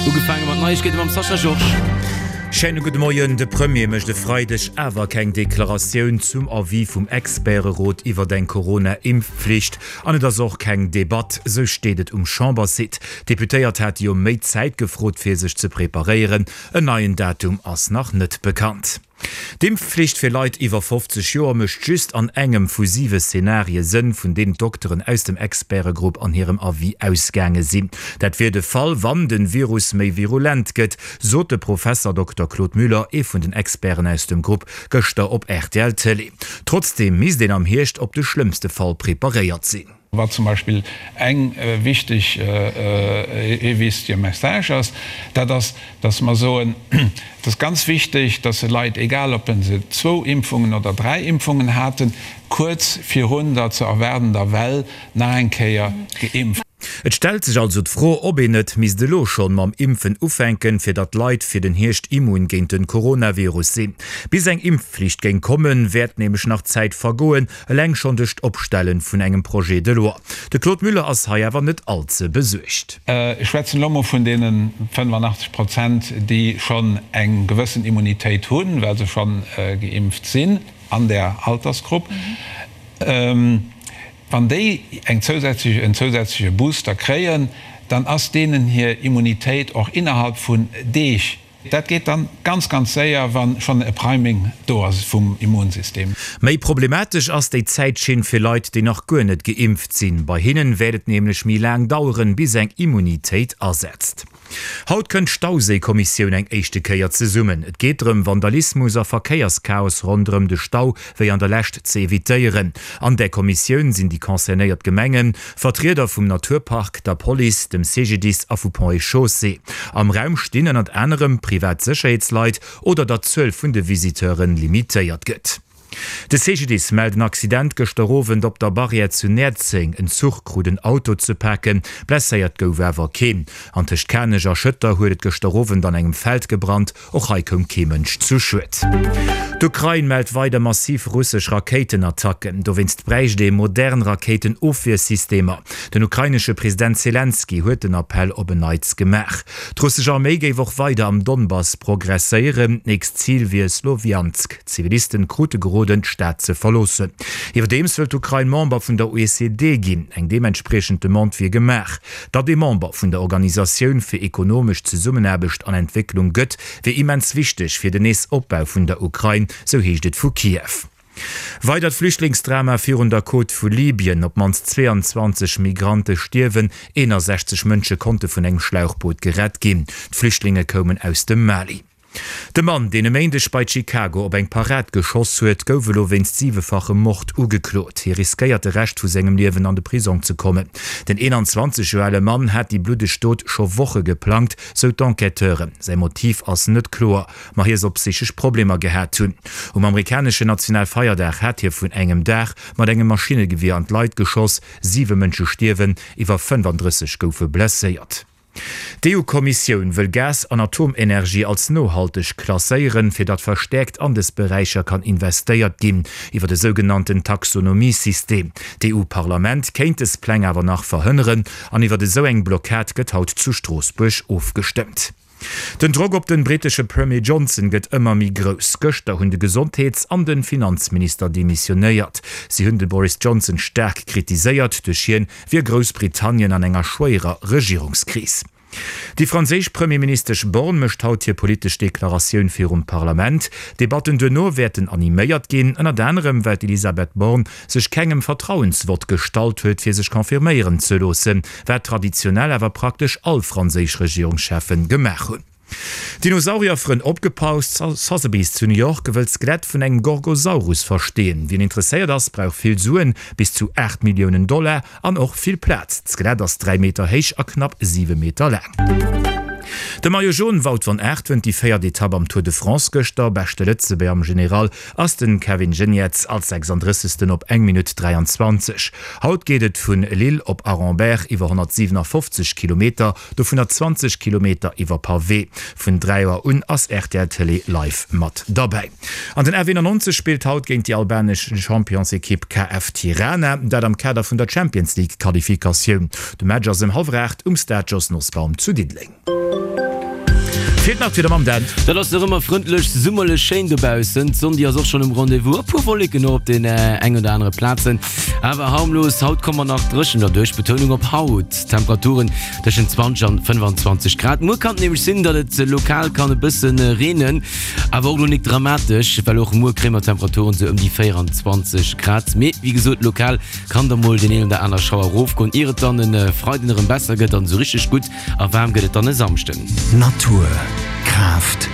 Ugefaange mat Neiegkeete mam Sascha Georges. Schéine gudde Moien. De Premier mécht e Freideg awer keng Deklaratioun zum Avis vum Experterot iwwert eng Corona-Impfpflicht. An et ass och keng Debatt, sou steet et um Chambersite. D'Deputéiert hate jo méi Zäit gefrot, fir sech ze preparéieren. En neien Datum ass nach net bekannt. D'Impfflicht fir Leit iwwer 50 Joer mécht just an engem vu siwe Zenarie Sënn, vun deenen d'Dokteren aus dem Expertegrupp an hirem Avis ausgaange sinn. Dat wier de Fall, wann de Virus méi virulent gëtt, sot de Professer Dokter Claude Müller, ee vun den Experten aus dem Grupp, gëschter op rtl Télé. Trotzdeem misst een am Hierscht op de schlëmmste Fall preparéiert sinn. Wat zum Beispill eng wichteg, ee wichtige Message ass, dat ass, dass mer soen, et ass ganz wichteg, dass se Leit, egal ob se zwou Impfungen oder dräi Impfungen haten, kuerz virun der ze erwaardender Well nach eng Kéier geimpft. Et stellt sech also d'Fro, ob een net misst elo schonn mam Impfen ufänken, fir datt d'Leit fir den Hierscht immun géint den Coronavirus sinn. Bis eng Impfflicht géing kommen, wäert nämlech nach Zäit vergoen, Eleng schonn duerch d'Opstelle vun engem Projet de loi. De Claude Müller ass hei awer net all ze besuergt. Ech schwätzen elo mol vun deene 85 Prozent, déi schonn eng gewëssen Immunitéit hunn, well se schonn geimpft sinn an där Altersgrupp. Wann déi eng zousätzlech, en zousätzleche Booster kréien, dann ass deenen hir Immunitéit och innerhalb vun Deeg Dat geet dann ganz, ganz séier, wa schonn e Priming do ass vum Immunsystem. Méi problematesch ass déi Zäitschinn fir Leit, déi nach guer net geimpft sinn. Bei hinnen wäert et nämlech méi laang daueren, bis eng Immunitéit asetzt. Haut kënnt d'Stauséikommissioun eng éischte Kéier zesummen. Et geet drëm, Vandalismus a Verkéierschaos ronderëm de Stau wéi an der Lescht ze evitéieren. An där Kommissioun sinn déi concernéiert Gemengen, Vertrieder vum Naturpark, der Police, dem CGDIS a vu Ponts et Chaussées. Am Raum stinn ënnert anerem privat Sécherheetsleit oder datt d'Zuel vun de Visiteure limitéiert gëtt. De CGDIS mellt en Accident gëschter Owend op der Barrière zu Näerzeng. En Zuch krut en Auto ze paken, blesséiert gouf awer keen. An tëscht Kanech a Schëtter huet et gëschter Owend an engem Feld gebrannt. Och hei koum kee Mënsch zu Schued. D'Ukrain mellt weider massiv russesch Rakéitenattacken. Dowéinst bräicht ee modern Rakéitenofwiersystemer. Den ukrainesche President Selenskyj huet den Appell op en Neits gemaach. D'russesch Arméi géif och weider am Donbass progresséieren. D'nächst Zil wier Slowjansk. D'Zivilisten krute geroden, d'Stad ze verloossen. Iwwerdeems wëllt d'Ukrain Member vun der OECD ginn. Eng deementspriechend Demande wier gemaach. Datt ee Member vun der Organisatioun fir ekonomesch Zesummenaarbecht an Entwécklung gëtt, wier immens wichteg fir den Nees-Opbau vun der Ukrain, sou heescht et vu Kiew. Weidert Flüchtlingsdrama virun der Côte vu Libyen, Op d'mannst 22 Migrante stierwen, 61 Mënsche konnte vun engem Schlauchboot gerett ginn. D'Flüchtlinge koumen aus dem Mali. De Mann, deen e Méindeg bei Chicago op eng Parad geschoss huet, gouf elo wéinst siwefachem Mord ugeklot. Hie riskéiert de Rescht vu sengem Liewen an de Prisong ze kommen. Den 21 Joer ale Mann hat déi bluddeg Dot scho Woche geplangt, sou d'Enquêteuren. Säi Motiv ass net kloer, ma hie soll psychesch Problemer gehat hunn. Um amerikaneschen Nationalfeierdag hat hie vun engem Daach mat engem Maschinnegewier an d'Leit geschoss. Siwe Mënsche stierwen, iwwer 35 goufe blesséiert. D'EU-Kommissioun wëll Gas an Atomenergie als nohalteg klasséieren, fir datt verstäerkt an dës Beräicher kann investéiert ginn, iwwer e sougenannten Taxonomie-System. D'EU-Parlament kéint dës Pläng awer nach verhënneren an iwwer esou eng Blockad gëtt haut zu Stroossbuerg ofgestëmmt. Den Drock op den britesche Premier Johnson gëtt ëmmer méi grouss. Gëschter hunn de Gesondheets an den Finanzminister demissionéiert. Si hunn de Boris Johnson staark kritiséiert. Duerch hien wier Groussbritannien an enger schwéierer Regierungskris. Déi franséisch Premierministesch Borne mécht haut hir politesch Deklaratioun virum Parlament. D'Debatten duerno wäerten animéiert ginn, ënnert anerem well d'Elisabeth Borne sech kengem Vertrauensvott gestallt huet, fir sech confirméieren ze loossen, wat traditionell awer praktesch all franséisch Regierungscheffen gemaach hunn. Dinosaurierfrënn opgepaust, Sotheby's zu New York wëll d'Skelett vun engem Gorgosaurus versteen. Wien interesséiert ass, brauch vill Suen, bis zu 8 Milliounen Dollar, an och vill Plaz. D'Skelett ass 3 Meter héich a knapp 7 Meter laang. De Maillot Jaune Wout van Aert wënnt déi véiert Etapp am Tour de France gëschter. Beschte Lëtzebuerger am General ass den Kevin Geniets als 36. op eng Minutt 23. Haut geet et vun Lille op Aremberg iwwer 157 Kilometer. Dovunner 20 Kilometer iwwer Pavé. Vun 3 Auer un ass rtl Télé live mat derbäi. An den F91 spillt haut géint déi albanesch Championsekipp KF Tirana, dat am Kader vun der Champions League Qualifikatioun. De Match ass ëm hallwer 8 um Stade Jos Nosbaum zu Diddeleng. Feelt nach d'Wieder mam Dan. Dat ass nach ëmmer frëndlech, summerlech schéin dobaussen. D'Sonn déi ass och schonn um Rendez-vous, e puer Wolleken och op den eng oder anere Plazen, awer harmlos. Haut komme mer nach dréchen derduerch, Betounung op haut. Temperaturen tëschent 20 an 25 Grad. Muer kann et nämlech sinn, datt et lokal kann e bësse reenen, awer och lo nik dramatesch, well och muer kréie mer Temperaturen sou ëm déi 24 Grad. Mee wéi gesot, lokal kann da mol deen een oder aner Schauer erofgoen, ier et dann e Freiden erëm besser gëtt an esou richteg gutt a waarm gëtt et dann e Samschden. Natur, Kraaft.